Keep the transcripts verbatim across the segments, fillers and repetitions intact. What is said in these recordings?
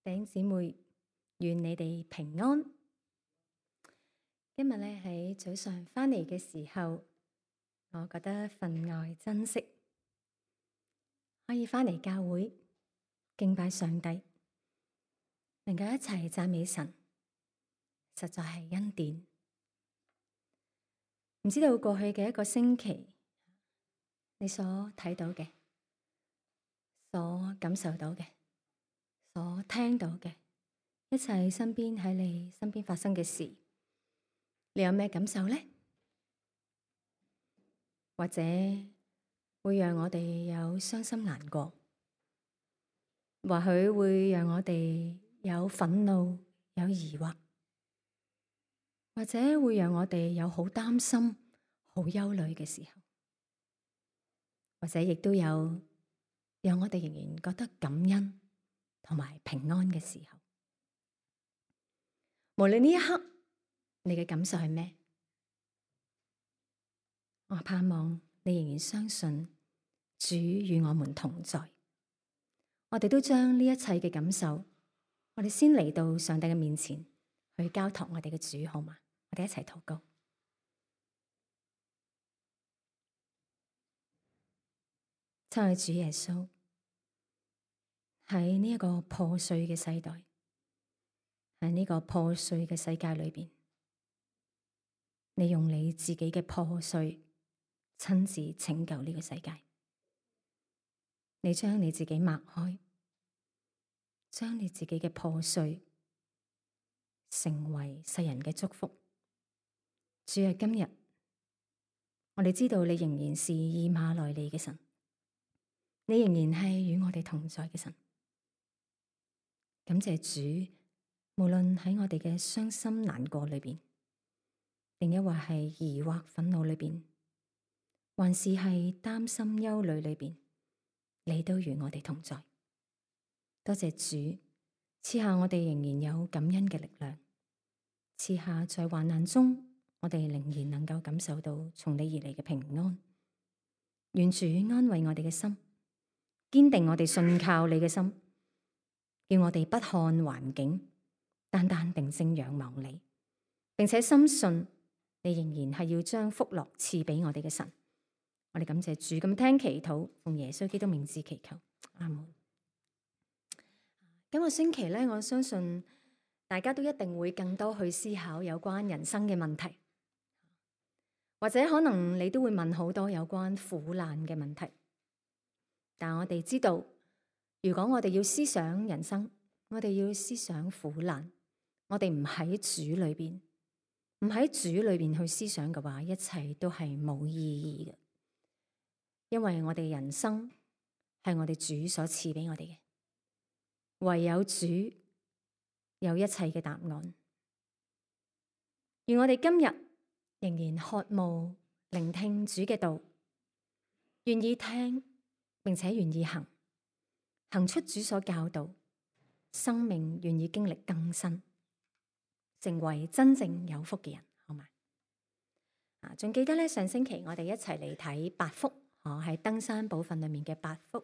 弟兄姊妹，願你哋平安。今日咧喺早上返嚟嘅時候，我覺得分外珍惜，可以返嚟教會敬拜上帝，能夠一齊讚美神，實在係恩典。唔知道過去嘅一個星期，你所睇到嘅、所感受到嘅、所聽到嘅一切身邊喺你身邊發生嘅事，你有咩感受呢？或者會讓我哋有傷心難過，或許會讓我哋有憤怒、有疑惑，或者會讓我哋有好擔心、好憂慮嘅時候，或者亦都有讓我哋仍然覺得感恩同埋平安嘅時候。無論呢一刻你嘅感受係咩，我盼望你仍然相信主與我們同在。我哋都將呢一切嘅感受，我哋先嚟到上帝嘅面前去交託我哋嘅主，好嗎？我哋一齊禱告。親愛主耶穌，喺呢一個破碎嘅世代，喺呢個破碎嘅世界裏邊，你用你自己嘅破碎親自拯救呢個世界。你將你自己擘開，將你自己嘅破碎成為世人嘅祝福。主啊，今日我哋知道你仍然是以馬內利嘅神，你仍然係與我哋同在嘅神。感謝主，無論喺我哋嘅傷心難過裏邊，定抑或係疑惑憤怒裏邊，還是係擔心憂慮裏邊，你都與我哋同在。多謝主賜下我哋仍然有感恩嘅力量，賜下在患難中我哋仍然能夠感受到從你而嚟嘅平安。願主安慰我哋嘅心，堅定我哋信靠你嘅心，叫我哋不看環境，單單定睛仰望你，並且深信你仍然係要將福樂賜俾我哋嘅神。我哋感謝主，咁聽祈禱，奉耶穌基督名字祈求，阿門。今個星期咧，我相信大家都一定會更多去思考有關人生嘅問題，或者可能你都會問好多有關苦難嘅問題。但我哋知道，如果我哋要思想人生，我哋要思想苦難，我哋唔喺主裏邊，唔喺主裏邊去思想嘅話，一切都係冇意義嘅。因為我哋人生係我哋主所賜俾我哋嘅，唯有主有一切嘅答案。而我哋今日仍然渴慕聆聽主嘅道，願意聽並且願意行，行出主所教導，生命願意經歷更新，成為真正有福嘅人，好嗎？啊，仲記得咧，上星期我哋一齊嚟睇八福。我喺登山寶訓裏面嘅八福，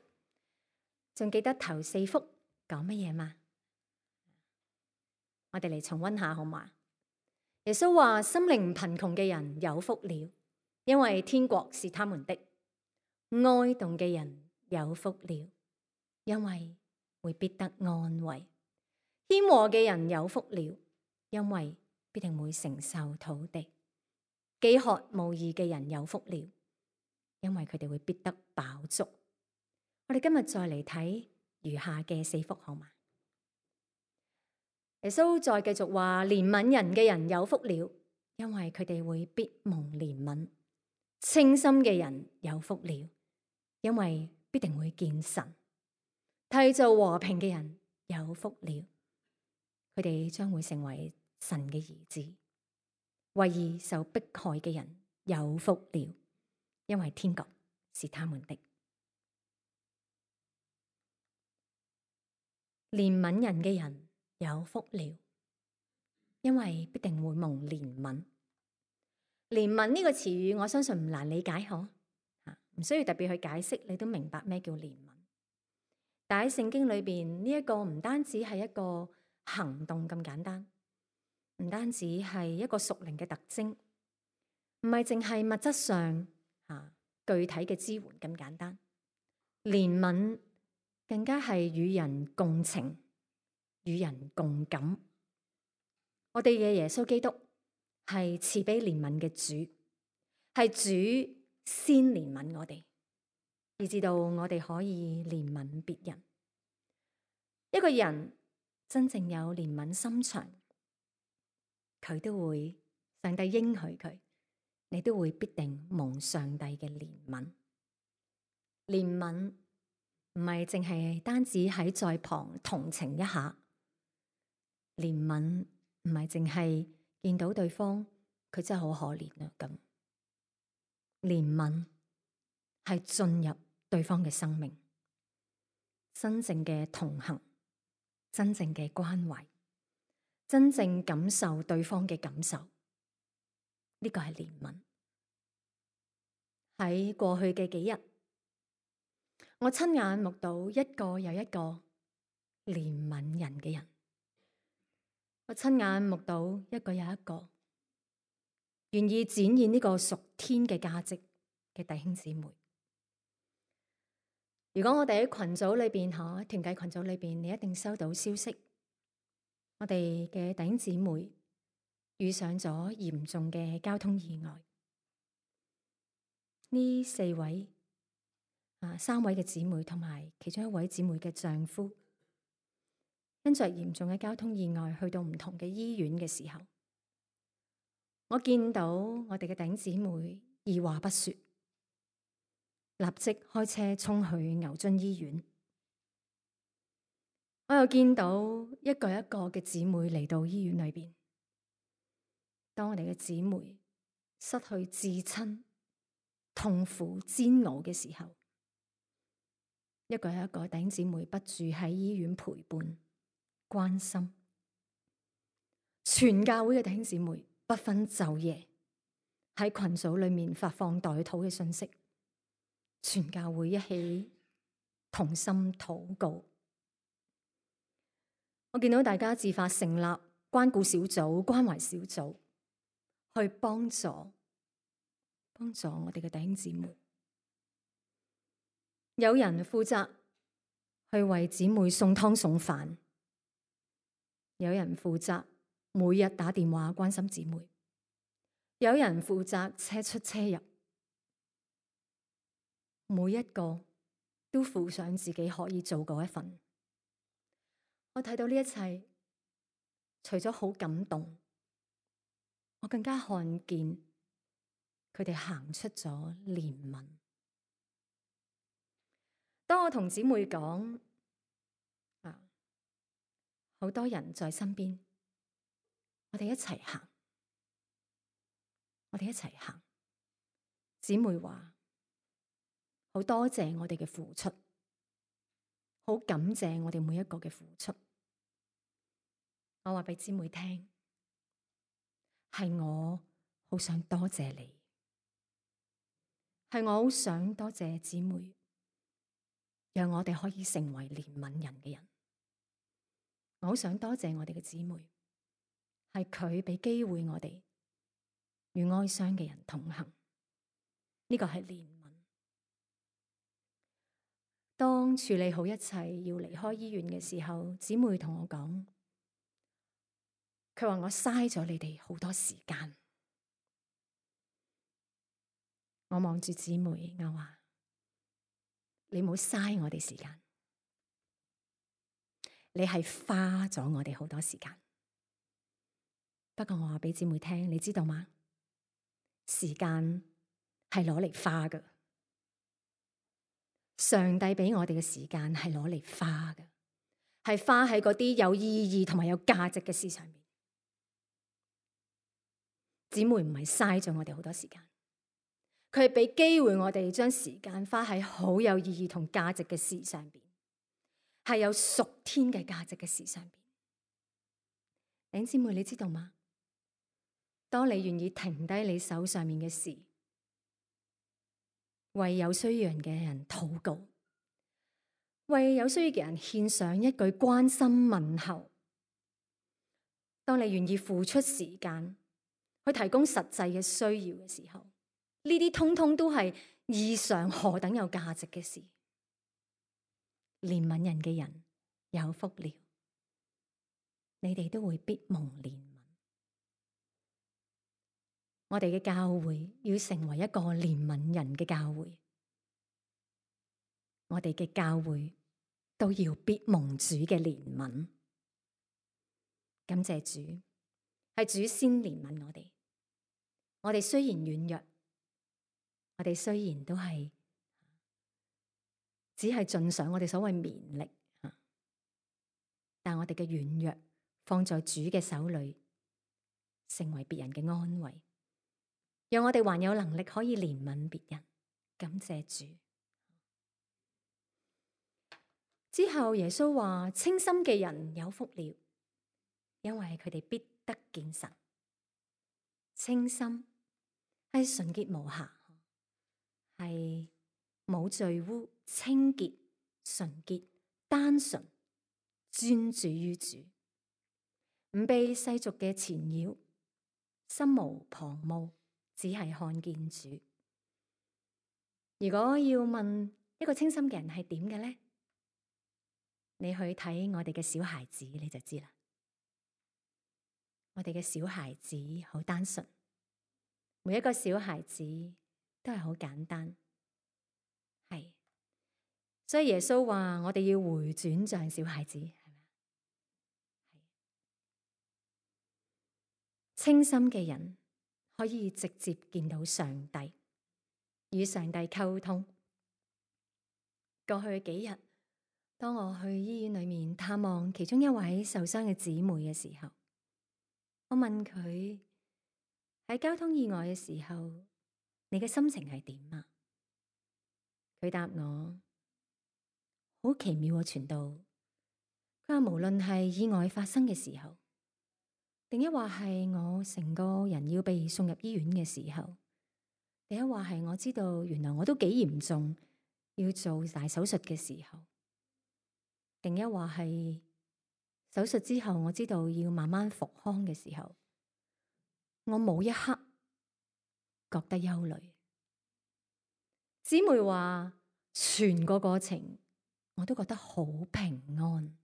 仲記得頭四福講乜嘢嗎？我哋嚟重溫下好嘛？耶穌話：心靈貧窮嘅人有福了，因為天國是他們的；哀慟嘅人有福了，因為會必得安慰；謙和嘅人有福了，因為必定會承受土地；飢渴慕義嘅人有福了，因為佢哋會必得飽足。我哋今日再嚟睇餘下嘅四福好嗎？耶穌再繼續話：憐憫人嘅人有福了，因為佢哋會必蒙憐憫；清心嘅人有福了，因為必定會見神；締造和平嘅人有福了，佢哋將會成為神嘅兒子；為義受迫害嘅人有福了，因為天國是他們的。憐憫人嘅人有福了，因為必定會蒙憐憫。憐憫呢個詞語，我相信唔難理解，嗬，唔需要特別去解釋，你都明白咩叫憐憫。但喺聖經裏邊，呢一個唔單止係一個行動咁簡單，唔單止係一個屬靈嘅特徵，唔係淨係物質上啊具體嘅支援咁簡單。憐憫更加係與人共情、與人共感。我哋嘅耶穌基督係慈悲憐憫嘅主，係主先憐憫我哋，以至到我哋可以憐憫別人。一個人真正有憐憫心腸，佢都會，上帝應許佢，你都會必定蒙上帝嘅憐憫。憐憫唔係淨係單止喺在旁同情一下，憐憫唔係淨係見到對方佢真係好可憐啊咁。憐憫係進入對方嘅生命，真正嘅同行，真正嘅關懷，真正感受對方嘅感受，呢個係憐憫。喺過去嘅幾日，我親眼目睹一個又一個憐憫人嘅人，我親眼目睹一個又一個願意展現呢個屬天嘅價值嘅弟兄姊妹。如果我哋喺群組裏邊，吓團契群組裏邊，你一定收到消息，我哋嘅弟兄姊妹遇上咗嚴重嘅交通意外。呢四位啊，三位嘅姊妹同埋其中一位姊妹嘅丈夫，因着嚴重嘅交通意外去到唔同嘅醫院嘅時候，我見到我哋嘅弟兄姊妹二話不說，立即開車衝去牛津醫院。我又見到一個一個嘅姊妹嚟到醫院裏邊。當我哋嘅姊妹失去至親、痛苦煎熬嘅時候，一個一個弟兄姊妹不住喺醫院陪伴、關心。全教會嘅弟兄姊妹不分晝夜喺群組裏面發放代禱嘅信息，全教會一起同心禱告。我見到大家自發成立關顧小組、關懷小組，去幫助幫助我哋嘅弟兄姊妹。有人負責去為姊妹送湯送飯，有人負責每日打電話關心姊妹，有人負責車出車入，每一個都負上自己可以做嗰一份。我睇到呢一切，除咗好感動，我更加看見佢哋行出咗憐憫。當我同姊妹講啊，好多人在身邊，我哋一齊行，我哋一齊行。姊妹話好多謝我哋嘅付出，好感謝我哋每一個嘅付出。我話俾姊妹聽，係我好想多謝你，係我好想多謝姊妹，讓我哋可以成為憐憫人嘅人。我好想多謝我哋嘅姊妹，係佢俾機會我哋與哀傷嘅人同行。呢個係憐憫。當處理好一切要離開醫院嘅時候，姊妹同我講，佢話我嘥咗你哋好多時間。我望住姊妹，我話你冇嘥我哋時間，你係花咗我哋好多時間。不過我話俾姊妹聽，你知道嗎？時間係攞嚟花㗎，上帝俾我哋嘅時間係攞嚟花㗎，係花喺嗰啲有意義同埋有價值嘅事上面。姊妹唔係嘥咗我哋好多時間，佢係俾機會我哋將時間花喺好有意義同價值嘅事上邊，係有屬天嘅價值嘅事上邊。弟兄姊妹，你知道嗎？當你願意停低你手上面嘅事，為有需要人嘅人禱告，為有需要嘅人獻上一句關心問候。當你願意付出時間去提供實際嘅需要嘅時候，呢啲通通都係異常何等有價值嘅事。憐憫人嘅人有福了，你哋都會必蒙憐憫。我哋嘅教會要成為一個憐憫人嘅教會，我哋嘅教會都要必蒙主嘅憐憫。感謝主，係主先憐憫我哋。我哋雖然軟弱，我哋雖然都係只係盡上我哋所謂綿力，但我哋嘅軟弱放在主嘅手裏，成為別人嘅安慰，讓我哋還有能力可以憐憫別人。感謝主。之後耶穌話：清心嘅人有福了，因為佢哋必得見神。清心係純潔無瑕，係冇罪污、清潔、純潔、單純、專注於主，唔被世俗嘅纏繞，心無旁騖，只係看見主。如果要問一個清心嘅人係點嘅呢？你去睇我哋嘅小孩子，你就知啦。我哋嘅小孩子好單純，每一個小孩子都係好簡單，係。所以耶穌話我哋要回轉像小孩子，係咪？係。清心嘅人可以直接見到上帝，與上帝溝通。過去幾日，當我去醫院裏面探望其中一位受傷嘅姊妹嘅時候，我問佢喺交通意外嘅時候，你嘅心情係點啊？佢答我好奇妙嘅傳道。佢話無論係意外發生嘅時候，定一話係我成個人要被送入醫院嘅時候，定一話係我知道原來我都幾嚴重，要做大手術嘅時候，定一話係手術之後我知道要慢慢復康嘅時候，我冇一刻覺得憂慮。姊妹話全個過程我都覺得好平安。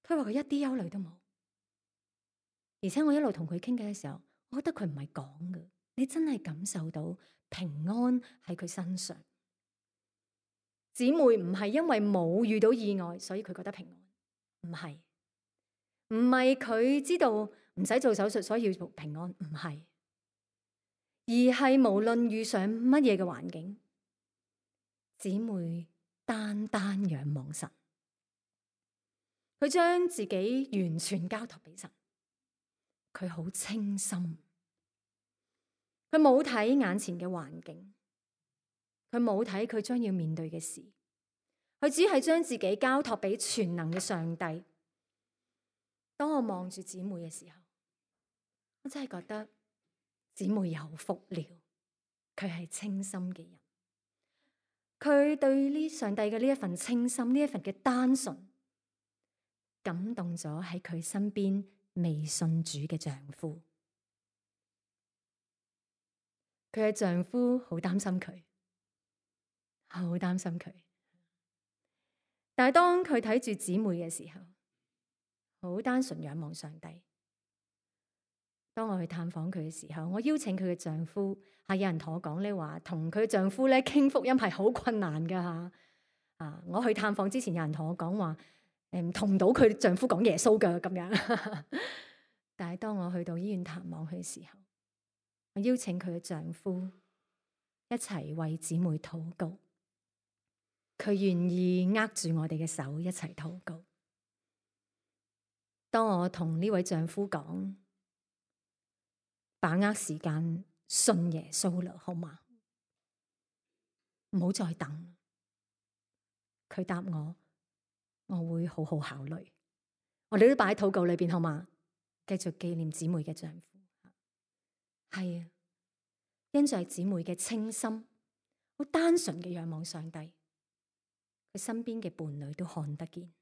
佢話佢一啲憂慮都冇，而且我一路同佢傾偈嘅時候，我覺得佢唔係講嘅，你真係感受到平安喺佢身上。姊妹唔係因為冇遇到意外所以佢覺得平安，唔係，唔係佢知道唔使做手術所以要平安，唔係，而係無論遇上乜嘢嘅環境，姊妹單單仰望神，佢將自己完全交託俾神，佢好清心，佢冇睇眼前嘅環境，佢冇睇佢將要面對嘅事，佢只係將自己交託俾全能嘅上帝。當我望住姊妹嘅時候，我真係覺得姊妹有福了，佢係清心嘅人，佢對呢上帝嘅呢一份清心，呢一份嘅單純，感動咗喺佢身邊未信主嘅丈夫。佢嘅丈夫好擔心佢，好擔心佢。但係當佢睇住姊妹嘅時候，好單純仰望上帝。當我去探訪佢嘅時候，我邀請佢嘅丈夫，係有人同我講咧話，同佢丈夫咧傾福音係好困難噶吓。啊，我去探訪之前，有人同我講話，誒，同唔到佢丈夫講耶穌噶咁樣。但係當我去到醫院探望佢嘅時候，我邀請佢嘅丈夫一齊為姊妹禱告，佢願意握住我哋嘅手一齊禱告。當我同呢位丈夫講，把握時間信耶穌啦，好嗎？唔好再等。佢答我，我會好好考慮。我哋都擺喺禱告裏邊，好嗎？繼續紀念姊妹嘅丈夫。係啊，因着姊妹嘅清心，好單純嘅仰望上帝，佢身邊嘅伴侶都看得見。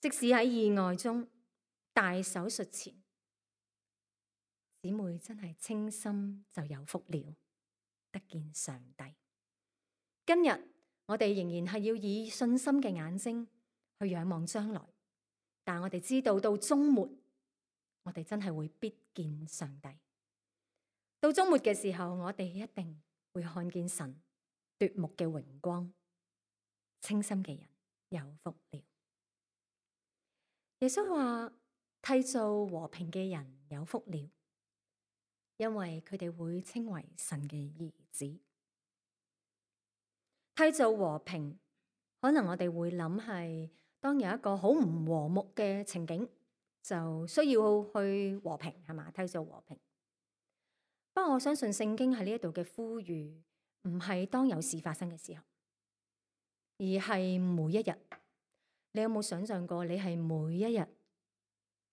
即使喺意外中、大手術前，姊妹真係清心就有福了，得見上帝。今日我哋仍然係要以信心嘅眼睛去仰望將來，但我哋知道到終末，我哋真係會必見上帝。到終末嘅時候，我哋一定會看見神奪目嘅榮光。清心嘅人有福了。耶穌話：締造和平嘅人有福了，因為佢哋會稱為神嘅兒子。締造和平，可能我哋會諗係當有一個好唔和睦嘅情景，就需要去和平，係嘛？締造和平。不過我相信聖經喺呢一度嘅呼籲，唔係當有事發生嘅時候，而係每一日。你有冇想象過，你係每一日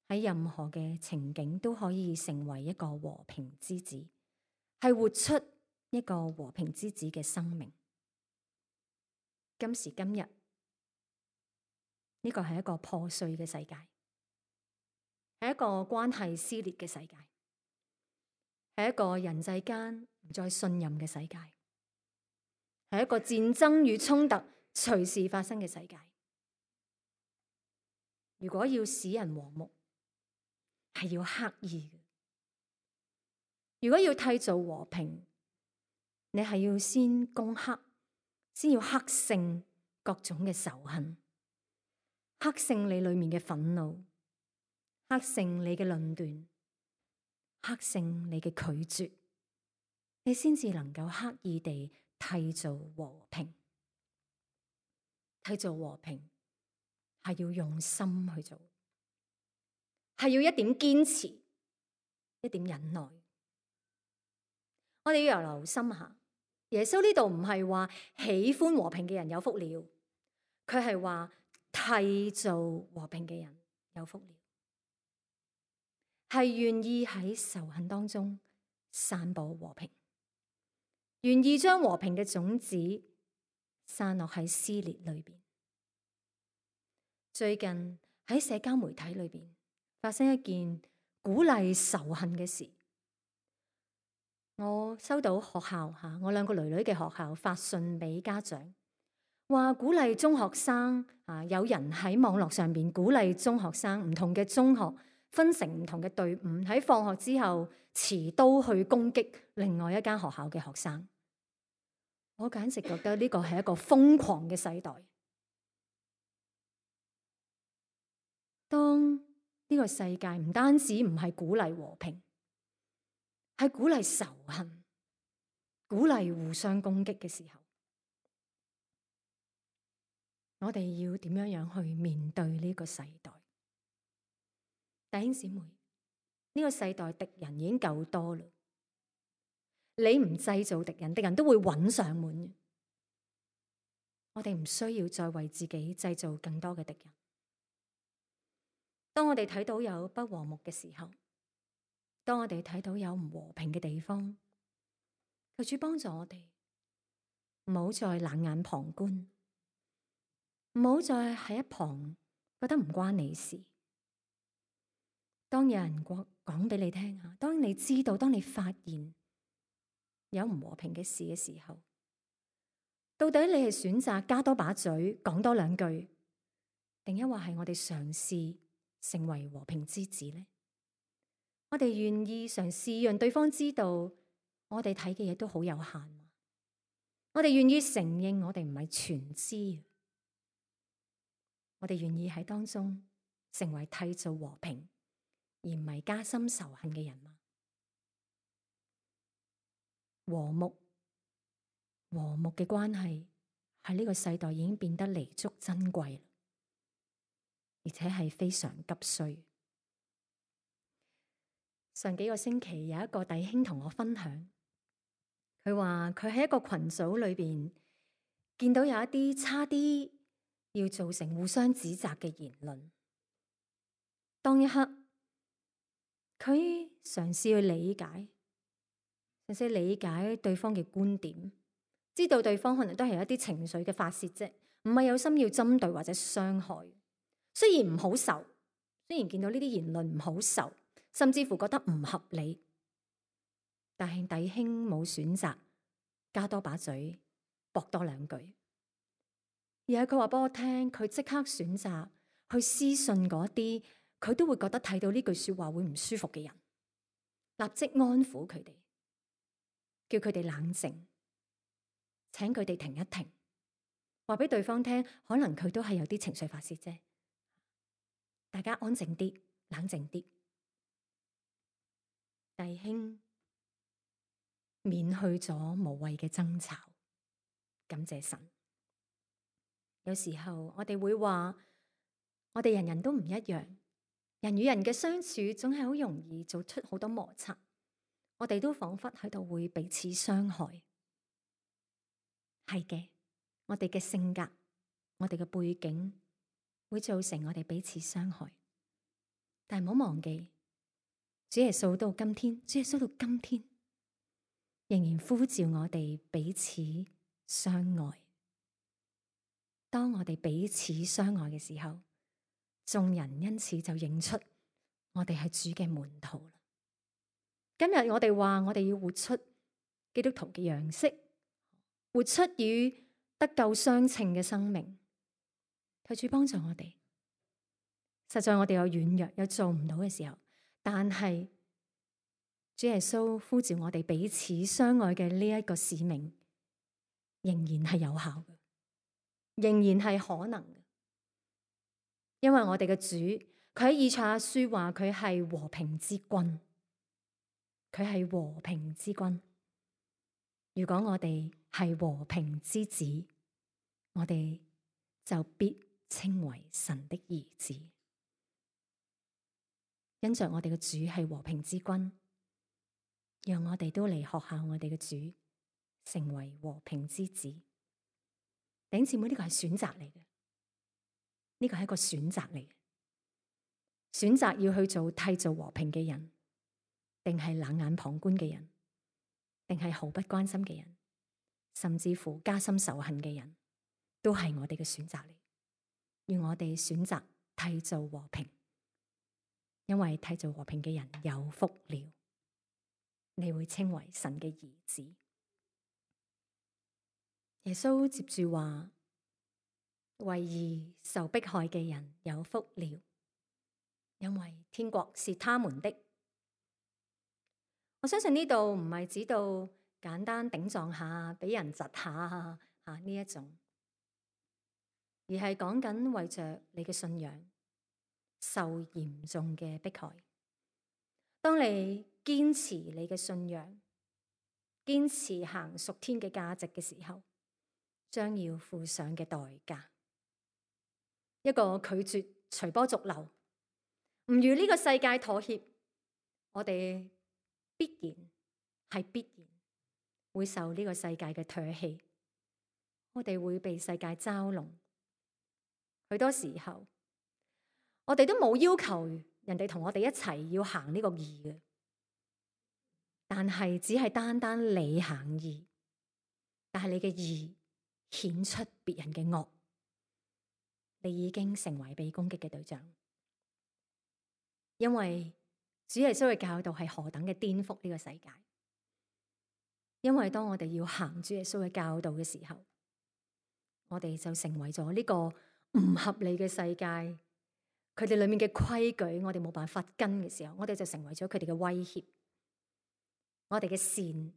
喺任何嘅情景都可以成為一個和平之子，係活出一個和平之子嘅生命。今時今日，呢個係一個破碎嘅世界，係一個關係撕裂嘅世界，係一個人際間唔再信任嘅世界，係一個戰爭與衝突隨時發生嘅世界。如果要使人和睦，係要刻意嘅。如果要締造和平，你係要先攻克，先要克勝各種嘅仇恨，克勝你裏面嘅憤怒，克勝你嘅論斷，克勝你嘅拒絕，你先至能夠刻意地締造和平。締造和平係要用心去做，係要一點堅持，一點忍耐。我哋要留心下，耶穌呢度唔係話喜歡和平嘅人有福了，佢係話締造和平嘅人有福了，係願意喺仇恨當中散播和平，願意將和平嘅種子散落喺撕裂裏邊。最近喺社交媒體裏邊發生一件鼓勵仇恨嘅事，我收到學校吓，我兩個女女嘅學校發信俾家長，話鼓勵中學生啊，有人喺網絡上邊鼓勵中學生，唔同嘅中學分成唔同嘅隊伍，喺放學之後持刀去攻擊另外一間學校嘅學生。我簡直覺得呢個係一個瘋狂嘅世代。當呢個世界唔單止唔係鼓勵和平，係鼓勵仇恨、鼓勵互相攻擊嘅時候，我哋要點樣樣去面對呢個世代？弟兄姊妹，呢個世代敵人已經夠多啦，你唔製造敵人，敵人都會揾上門嘅。我哋唔需要再為自己製造更多嘅敵人。當我哋睇到有不和睦嘅時候，當我哋睇到有唔和平嘅地方，求主幫助我哋，唔好再冷眼旁觀，唔好再喺一旁覺得唔關你事。當有人講講俾你聽啊，當你知道，當你發現有唔和平嘅事嘅時候，到底你係選擇加多把嘴，講多兩句，定抑或係我哋嘗試成為和平之子呢？我哋願意嘗試讓對方知道，我哋睇嘅嘢都好有限。我哋願意承認我哋唔係全知。我哋願意喺當中成為締造和平，而唔係加深仇恨嘅人嗎？和睦，和睦嘅關係喺呢個世代已經變得彌足珍貴，而且係非常急需。上幾個星期有一個弟兄同我分享，佢話佢喺一個群組裏邊見到有一啲差啲要造成互相指責嘅言論。當一刻，佢嘗試去理解，嘗試理解對方嘅觀點，知道對方可能都係有一啲情緒嘅發洩啫，唔係有心要針對或者傷害。雖然唔好受，雖然見到呢啲言論唔好受，甚至乎覺得唔合理，但係弟兄冇選擇加多把嘴駁多兩句，而係佢話俾我聽，佢即刻選擇去私信嗰啲佢都會覺得睇到呢句說話會唔舒服嘅人，立即安撫佢哋，叫佢哋冷靜，請佢哋停一停，話俾對方聽，可能佢都係有啲情緒發洩啫，大家安靜啲，冷靜啲，弟兄免去咗無謂嘅爭吵，感謝神。有時候我哋會話，我哋人人都唔一樣，人與人嘅相處總係好容易做出好多摩擦，我哋都仿佛喺度會彼此傷害。係嘅，我哋嘅性格，我哋嘅背景會造成我哋彼此傷害，但係唔好忘記，主耶穌到今天，主耶穌到今天仍然呼召我哋彼此相愛。當我哋彼此相愛嘅時候，眾人因此就認出我哋係主嘅門徒啦。今日我哋話我哋要活出基督徒嘅樣式，活出與得救相稱嘅生命。求主幫助我哋。實在我哋有軟弱，有做唔到嘅時候，但係主耶穌呼召我哋彼此相愛嘅呢一個使命，仍然係有效嘅，仍然係可能嘅。因為我哋嘅主，佢喺以賽亞書話佢係和平之君，佢係和平之君。如果我哋係和平之子，我哋就必稱為神的兒子。因着我哋嘅主係和平之君，讓我哋都嚟學效我哋嘅主，成為和平之子。弟兄姊妹，呢個係選擇嚟嘅，呢個係一個選擇嚟嘅。選擇要去做締造和平嘅人，定係冷眼旁觀嘅人，定係毫不關心嘅人，甚至乎加深仇恨嘅人，都係我哋嘅選擇嚟。要我哋選擇締造和平，因為締造和平嘅人有福了，你會稱為神嘅兒子。耶穌接住話，為義受迫害嘅人有福了，因為天國是他們的。我相信呢度唔係指到簡單頂撞下，俾人窒下吓呢一種，而係講緊為着你嘅信仰受嚴重嘅迫害。當你堅持你嘅信仰，堅持行屬天嘅價值嘅時候，將要付上嘅代價。一個拒絕隨波逐流，唔與呢個世界妥協，我哋必然係必然會受呢個世界嘅唾棄，我哋會被世界嘲弄。許多時候，我哋都冇要求人哋同我哋一齊要行呢個義嘅，但係只係單單你行義，但係你嘅義顯出別人嘅惡，你已經成為被攻擊嘅對象。因為主耶穌嘅教導係何等嘅顛覆呢個世界。因為當我哋要行主耶穌嘅教導嘅時候，我哋就成為咗呢個唔合理嘅世界，佢哋裏面嘅規矩我哋冇辦法跟嘅時候，我哋就成為咗佢哋嘅威脅。我哋嘅善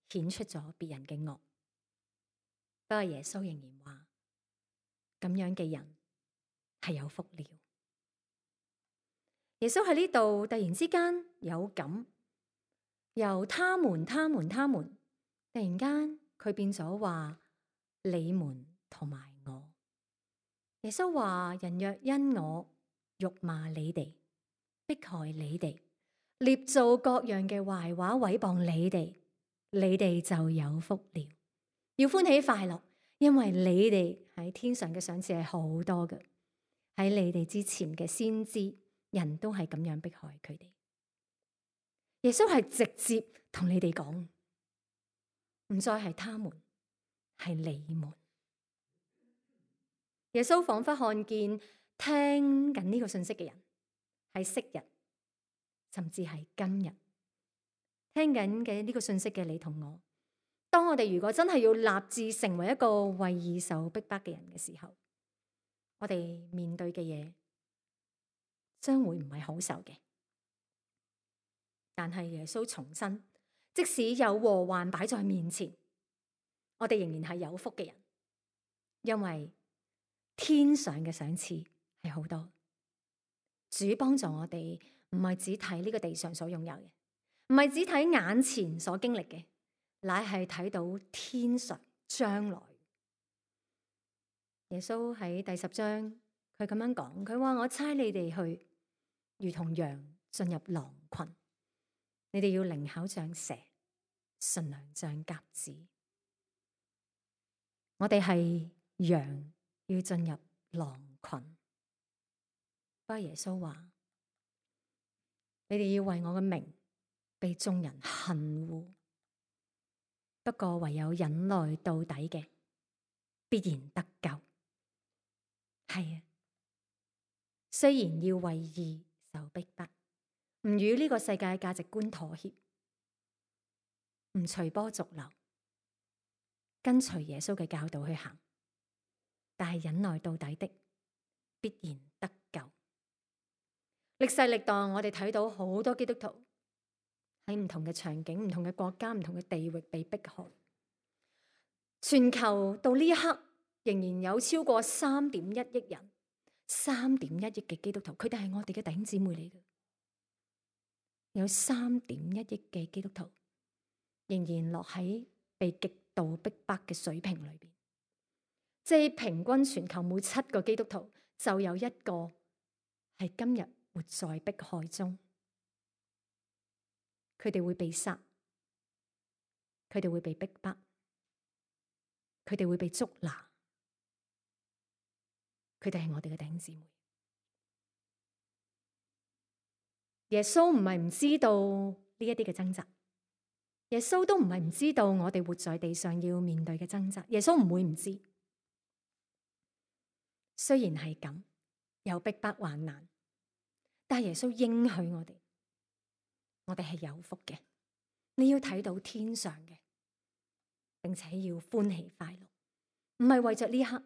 顯出咗別人嘅惡。不過耶穌仍然話，咁樣嘅人係有福了。耶穌喺呢度突然之間有感，由他們、他們、他們，突然間佢變咗話你們同埋我。耶穌話：人若因我辱罵你哋、迫害你哋、捏造各樣嘅壞話毀謗你哋，你哋就有福了。要歡喜快樂，因為你哋喺天上嘅賞賜係好多嘅。喺你哋之前嘅先知，人都係咁樣迫害佢哋。耶穌係直接同你哋講，唔再係他們，係你們。耶穌仿佛看見聽緊呢個信息嘅人，係昔日，甚至係今日聽緊嘅呢個信息嘅你同我。當我哋如果真係要立志成為一個為義受逼迫嘅人嘅時候，我哋面對嘅嘢將會唔係好受嘅。但係耶穌重申，即使有禍患擺在面前，我哋仍然係有福嘅人，因為天上嘅賞賜係好多。主幫助我哋，唔係只睇呢個地上所擁有嘅，唔係只睇眼前所經歷嘅，乃係睇到天上將來。耶穌喺第十章，佢咁樣講，佢話：我差你哋去，如同羊進入狼群，你哋要靈巧像蛇，馴良像鴿子。我哋係羊，要進入狼群。不過耶穌話：你哋要為我嘅名被眾人恨惡，不過唯有忍耐到底嘅，必然得救。係啊，雖然要為義受逼迫，唔與呢個世界價值觀妥協，唔隨波逐流，跟隨耶穌嘅教導去行，但係忍耐到底的，必然得救。歷世歷代我哋睇到好多基督徒喺唔同嘅場景、唔同嘅國家、唔同嘅地域被迫害，全球到呢一刻仍然有超過三點一億人，三點一億嘅基督徒，佢哋係我哋嘅弟兄姊妹嚟嘅。有三點一億嘅基督徒仍然落喺被極度逼迫嘅水平裏邊，即係平均全球每七個基督徒就有一個係今日活在迫害中。佢哋會被殺，佢哋會被逼迫，佢哋會被捉拿。佢哋係我哋嘅弟兄姊妹。耶穌唔係唔知道呢一啲嘅掙扎，耶穌都唔係唔知道我哋活在地上要面對嘅掙扎。耶穌唔會唔知。雖然係咁，有逼迫患難，但係耶穌應許我哋，我哋係有福嘅。你要睇到天上嘅，並且要歡喜快樂，唔係為着呢一刻，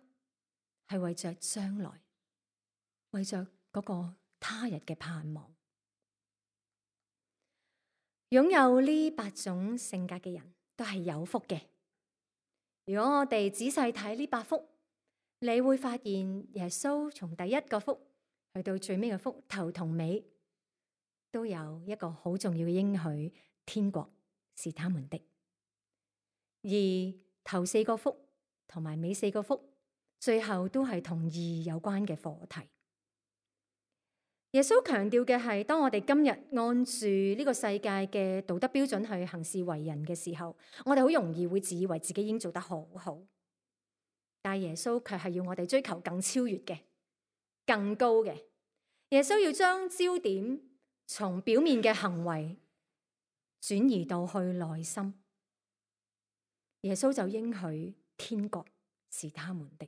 係為着將來，為着嗰個他日嘅盼望。擁有呢八種性格嘅人都係有福嘅。如果我哋仔細睇呢八福，你會發現耶穌從第一個福去到最尾嘅福，頭同尾都有一個好重要嘅應許：天國是他們的。而頭四個福同埋尾四個福，最後都係同義有關嘅課題。耶穌強調嘅係，當我哋今日按住呢個世界嘅道德標準去行事為人嘅時候，我哋好容易會自以為自己已經做得好好。但係耶穌卻係要我哋追求更超越嘅、更高嘅。耶穌要將焦點從表面嘅行為轉移到去內心。耶穌就應許天國是他們的。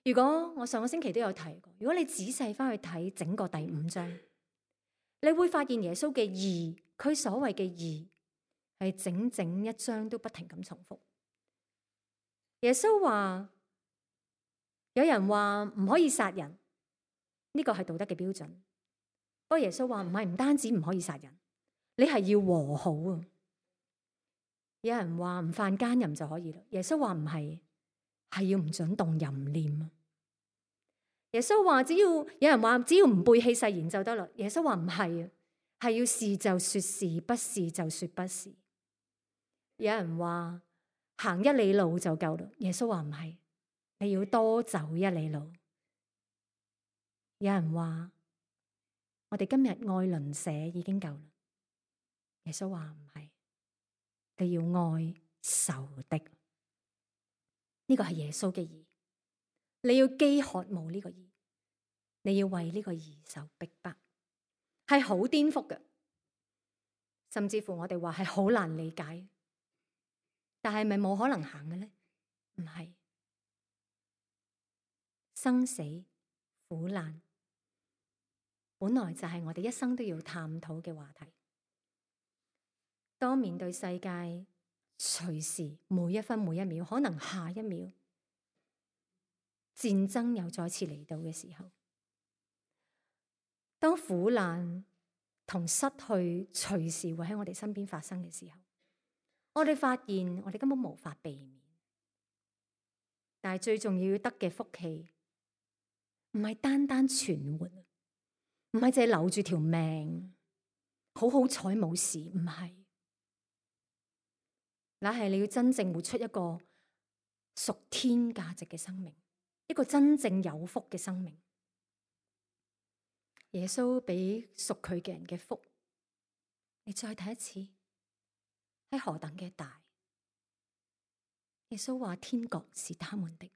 如果我上個星期都有提過，如果你仔細翻去睇整個第五章，你會發現耶穌嘅義，佢所謂嘅義係整整一章都不停咁重複。耶穌話，有人話唔可以殺人，呢個係道德嘅標準。不過耶穌話唔係，唔單止唔可以殺人，你係要和好啊。有人話唔犯奸淫就可以啦，耶穌話唔係，係要唔准動淫念啊。耶穌話只要有人話只要唔背棄誓言就得啦，耶穌話唔係啊，係要是就說是，不是就說不是。有人話行一里路就夠啦，耶穌話唔係，你要多走一里路。有人話我哋今日愛鄰舍已經夠啦，耶穌話唔係，你要愛仇敵。呢個係耶穌嘅義，你要飢渴慕呢個義，你要為呢個義受逼迫，係好顛覆嘅，甚至乎我哋話係好難理解，但係咪冇可能行嘅呢？唔係。生死苦難本來就係我哋一生都要探討嘅話題。當面對世界隨時每一分每一秒，可能下一秒戰爭又再次嚟到嘅時候，當苦難同失去隨時會喺我哋身邊發生嘅時候，我哋發現我哋根本無法避免。但係最重要要得嘅福氣，唔係單單存活，唔係淨係留住條命，好好彩冇事，唔係，那係你要真正活出一個屬天價值嘅生命，一個真正有福嘅生命。耶穌俾屬佢嘅人嘅福，你再睇一次，係何等嘅大。耶穌話天國是他們的，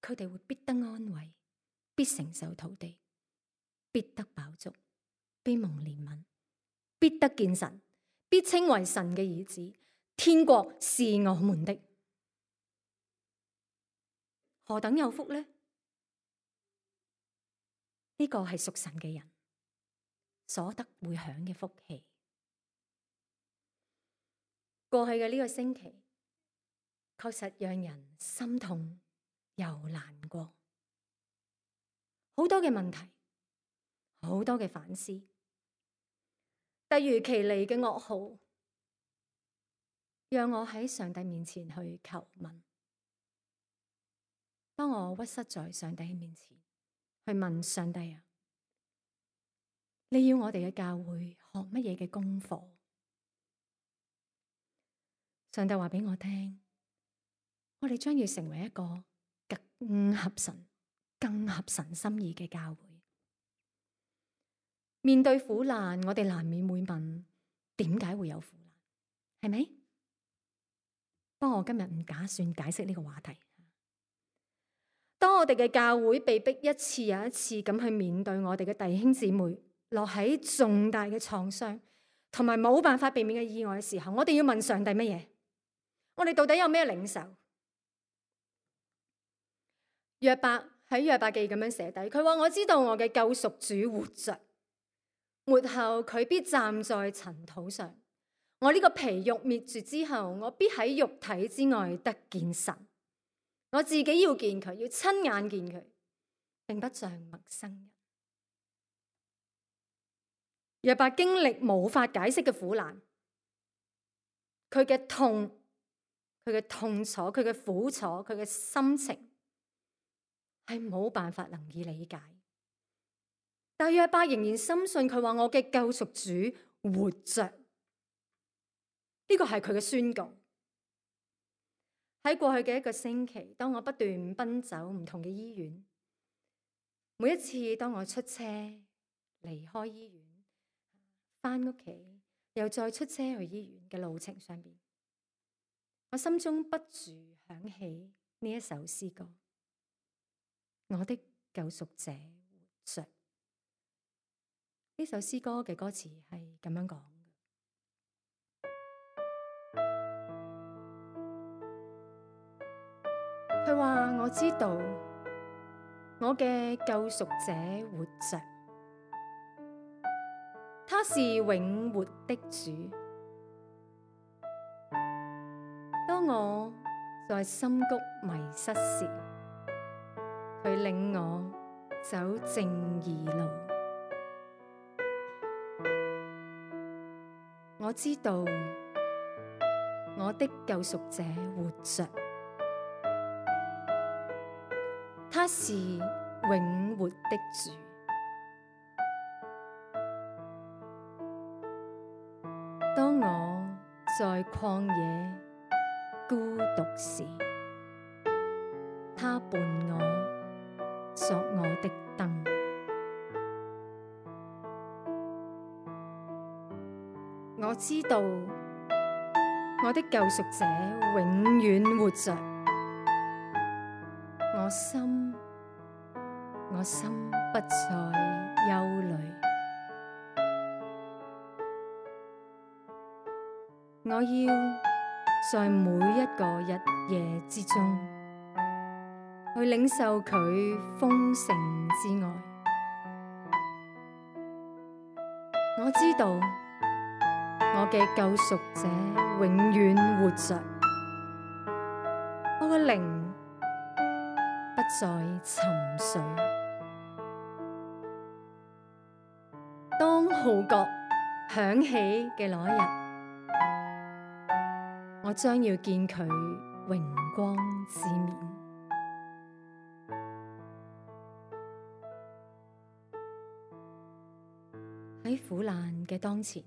佢哋會必得安慰，必承受土地，必得飽足，必蒙憐憫，必得見神，必稱為神嘅兒子。天國是我們的，何等有福呢？呢個係屬神嘅人所得會享嘅福氣。過去嘅呢個星期，確實讓人心痛又難過，好多嘅問題，好多嘅反思，突如其來嘅噩耗，讓我喺上帝面前去求問。當我屈膝在上帝面前去問上帝啊，你要我哋嘅教會學乜嘢嘅功課？上帝話俾我聽，我哋將要成為一個更合神、更合神心意嘅教會。面對苦難，我哋難免會問：點解會有苦難？係咪？不過我今日唔打算解釋呢個話題。當我哋嘅教會被逼一次又一次咁去面對我哋嘅弟兄姊妹落喺重大嘅創傷同埋冇辦法避免嘅意外嘅時候，我哋要問上帝乜嘢？我哋到底有咩領受？約伯喺約伯記咁樣寫低，佢話：我知道我嘅救贖主活着，末後佢必站在塵土上。我呢個皮肉滅絕之後，我必喺肉體之外得見神。我自己要見佢，要親眼見佢，並不像陌生人。約伯經歷無法解釋嘅苦難，佢嘅痛，佢嘅痛楚，佢嘅苦楚，佢嘅心情係冇辦法能以理解。但約伯仍然深信，佢話我嘅救贖主活着，呢個係佢嘅宣告。喺過去嘅一個星期，當我不斷奔走唔同嘅醫院，每一次當我出車離開醫院，翻屋企又再出車去醫院嘅路程上邊，我心中不住響起呢一首詩歌：我的救贖者活着。呢首詩歌嘅歌詞係咁樣講。佢話：我知道我嘅救贖者活着，他是永活的主。當我在深谷迷失時，佢領我走正義路。我知道我的救贖者活着，他是永活的主。當我在曠野孤獨時，他伴我作我的燈。我知道我的救贖者永遠活着。我心，我心不再憂慮。我要在每一個日夜之中，去領受佢豐盛之愛。我知道我嘅救贖者永遠活着，我嘅靈不再沉睡。當號角響起嘅那一日，我將要見佢榮光之面。喺苦難嘅當前，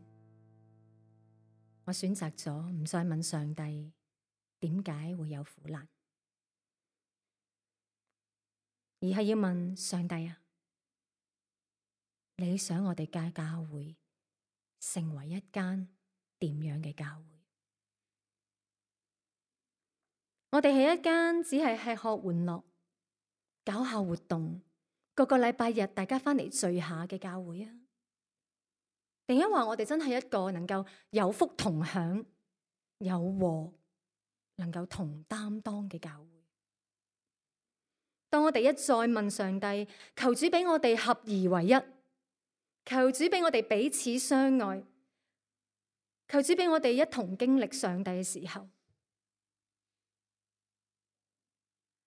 我選擇咗唔再問上帝點解會有苦難，而係要問上帝啊，你想我哋嘅教會成為一間點樣嘅教會？我哋係一間只係吃喝玩樂、搞下活動，個個禮拜日大家返嚟聚下嘅教會啊？定因為我哋真係一個能夠有福同享、有禍能夠同擔當嘅教會？當我哋一再問上帝，求主俾我哋合而為一，求主俾我哋彼此相愛，求主俾我哋一同經歷上帝嘅時候，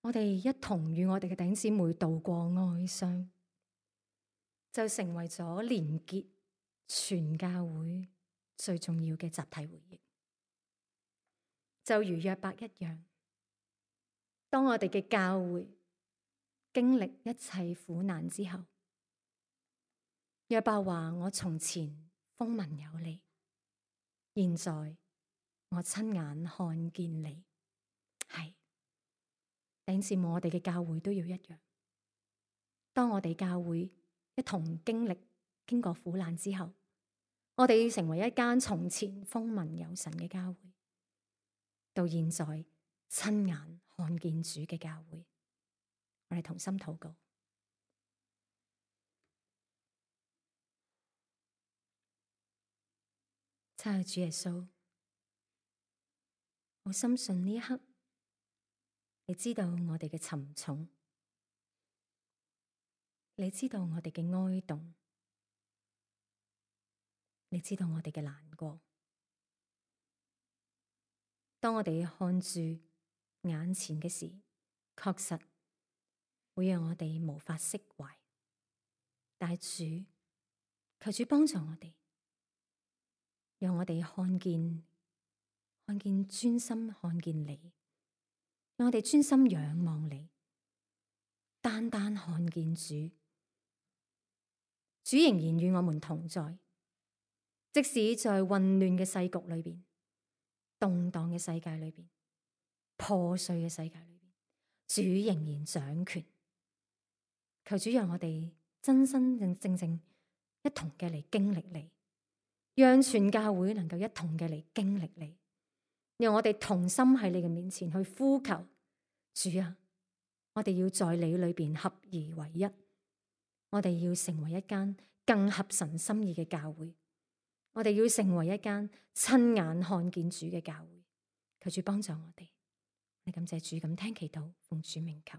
我哋一同與我哋嘅弟兄姊妹度過哀傷，就成為咗連結全教會最重要嘅集體回憶。就如約伯一樣，當我哋嘅教會經歷一切苦難之後，約伯話：我從前風聞有你，現在我親眼看見你。係，弟兄姊妹，我哋嘅教會都要一樣。當我哋教會一同經歷經過苦難之後，我哋要成為一間從前風聞有神嘅教會，到現在親眼看見主嘅教會。我哋同心禱告。親愛的主耶穌，我深信呢一刻，你知道我哋嘅沉重，你知道我哋嘅哀慟，你知道我哋嘅難過。當我哋看住眼前嘅事，確實會讓我哋無法釋懷。但主，求主幫助我哋，讓我哋看見，看見專心看見你，讓我哋專心仰望你，單單看見主。主仍然與我們同在，即使在混亂嘅世局裏邊、動盪嘅世界裏邊、破碎嘅世界裏邊，主仍然掌權。求主讓我哋真真正正正一同嘅嚟經歷你，讓全教會能夠一同嘅嚟經歷你，讓我哋同心喺你嘅面前去呼求主啊！我哋要在你裏邊合而為一，我哋要成為一間更合神心意嘅教會，我哋要成為一間親眼看見主嘅教會。求主幫助我哋，我哋感謝主，咁聽祈禱，奉主名求。